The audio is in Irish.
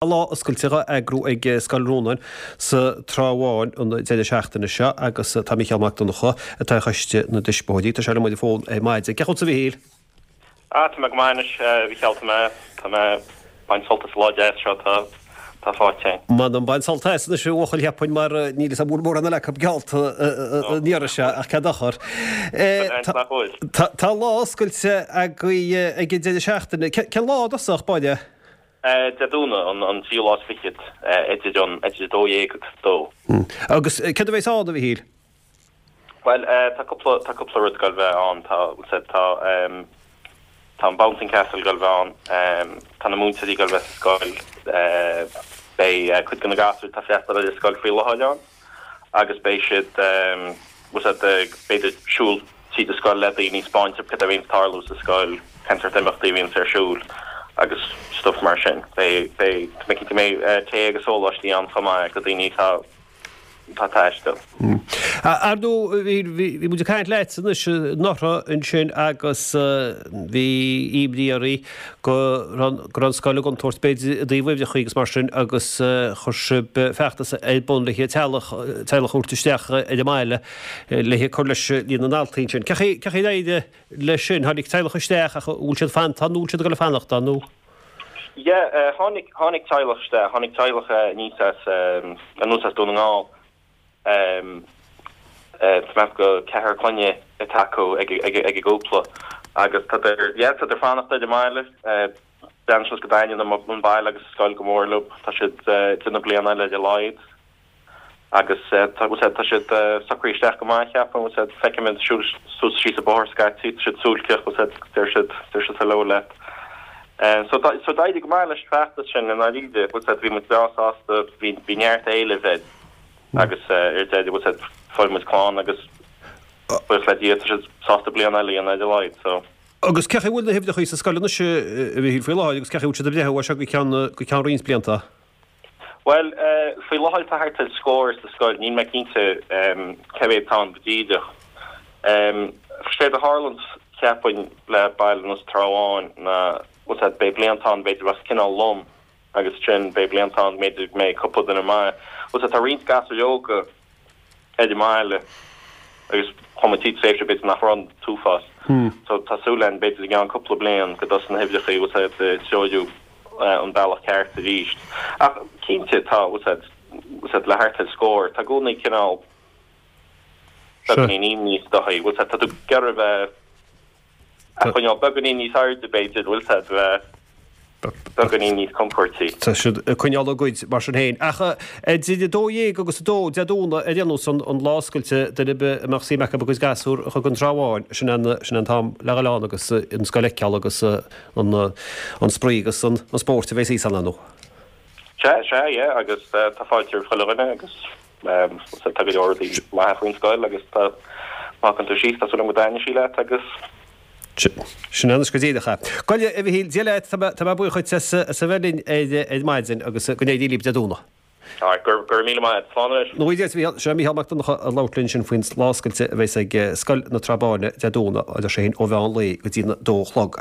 Lá oscailte á eagrú ag Scoil Rónáin sa Trá Bháin an deireadh seachtaine seo agus tá Mícheál Mac Donncha, atá ar choiste na dtuismitheoirí, tá sé liom ar an bhfón ar maidin. Cén chaoi a bhfuil tusa a Mhíchíl? Ah, tá mé go maith anois, a Mhícheál, tá mé, tá mé ag baint sult as an lá deas seo atá, atá faighte againn. M'anam, bain sult as anois a bhuachaill cheapfainn mar níl fhios a'm an bhfuil mórán eile acu geallta an iarraidh seo ach cén dochar. Nach bhfuil. Tá lá oscailte agaibh ag an deireadh seachtaine. Cén lá i dtosach báire? Dé Domhnaigh, an tríú lá is fichead, idir an idir 12 agus 2. Agus céard a bheas ann, a Mhichíl? Bhuel, tá cúpla, tá cúpla rud ag goil bheith ann. Tá, bhfuil tá, tá an Bouncing Castle ag goil bheith ann, tá na múinteoirí ag goil bheith sa scoil, beidh cuid de na gasúir atá ag freastal ar an scoil faoi láthair ann. agus beidh siad, bhfuil 's a'd, b'fhéidir siúl tríd an scoil le daoine, 'spáint dóibh cad é a bhíonns ag tarlú sa scoil, cén sórt imeachtaí a bhíonns ar siúl agus stuff mar sin. Beidh, beidh, tá mé cinnte go mbeidh tae agus sóláistí ann chomh maith do daoine atá, atá ag taisteal. Ar ndóigh, bhí, bhí muid ag caint leat anois anuraidh ansin agus bhí imní oraibh go raibh an scoil i gcontúirt, b'fhéidir, i dtaobh uimhreacha agus mar sin agus chuir sibh feachtas ar bun le teaghlach a thabhairt isteach ar an mbaile le cur leis líon na ndaltaí ansin. Cén chaoi ar éirigh leis sin? Tháinig teaghlach isteach ach an bhfuil siad fanta nó bhfuil siad ag dul ag fanacht ann nó? Yeah, tháinig, tháinig teaghlach isteach, tháinig teaghlach aníos as, anuas as Dún na nGall. Tá mé ag ceapadh go ceathrar clainne atá acu ag an gcúpla agus tádar, yeah, tádar ag fanacht ar an mbaile. Breathnaíonn sé go dtaitníonn an baile agus an scoil go mór leo. Tá siad ag déanamh bliain eile ar a laghad agus tá, tá siad socraithe isteach go maith, cheapfainn. Feicim iad ag siúl suas síos an bóthar scaití, tá siad suailceach, deir siad, deir siad hello leat. So, so d'éirigh go maith leis an bhfeachtas sin i ndáiríre. Bhí muid breá sásta, bhí, bhí neart éilimh air. Agus ar deireadh, bhfuil 's a'd, fuair muid clann agus buíochas le Dia tá siad sásta bliain eile a dhéanamh ar a laghad, so. Agus cén chaoi a bhfuil na huimhreacha sa scoil anois, a Mhichíl, faoi láthair agus cén chaoi a bhfuil siad ag breathnú as seo go ceann, go ceann roinnt blianta? Bhuel, faoi láthair tá thart ar scór sa scoil, níl mé cinnte cé mhéad atá ann go díreach. Séard a tharlaíonns, cheapfainn, le baile ar nós Trá Bháin ná, bhfuil 's a'd, beidh blianta ann b'fhéidir a bheas cineál lom, Agus ansin beidh blianta ann b'fhéidir go mbeidh cúpla duine maith. Bhfuil 's a'd tá roinnt gasúir óga ar an mbaile agus chuaigh muid tríd tréimhse b'fhéidir nach raibh an t-uafás. So tá súil againn b'fhéidir i gceann cúpla bliain go dtosóidh na huimhreacha bhfuil 's a'd ag treorú an bealach ceart arís. Ach cinnte tá bhfuil 's a'd bhfuil 's a'd le thart ar scór tá i gcónaí cineál beagáinín imní is dóigh bhfuil 's a'd tá tú ag iarraidh bheith A choinneáil beagáinín níos airde, b'fhéidir, bhfuil 's a'd, bheith beagáinín níos compóirtí. Tá siad ag coinneáil a gcuid, mar sin féin. Ach idir 12 agus 2 Dé Domhnaigh ar aon nós, an lá oscailte, duine ar bith a mbeadh suim acu a gcuid gasúr a chur go an Trá Bháin, sin é an t-am le dhul ann agus an scoil a fheiceáil agus an spraoi agus an spórt a bheas thíos ann, ar ndóigh. Sea, sea, yeah, agus tá fáilte roimh chuile dhuine agus. Tá go leor rudaí maithe faoin scoil agus tá, má thagann tú síos, tá súil agam go dtaitneoidh sí leat agus. Sin anois go díreach é. Go a Mhichíl, Dia leat, tá mé buíoch dhuit as a bheith linn ar maidin agus go n-éirí libh Dé Domhnaigh. Alright, go raibh míle maith agat. Slán anois. Nó Dia duit, a Mhichíl. Sin é Mícheál Mac Donncha ag labhairt linn sin faoin lá oscailte a bheas ag Scoil na Trá Báine Dé Domhnaigh, a deir sé féin, ó mheán lae go dtí an dó a chlog.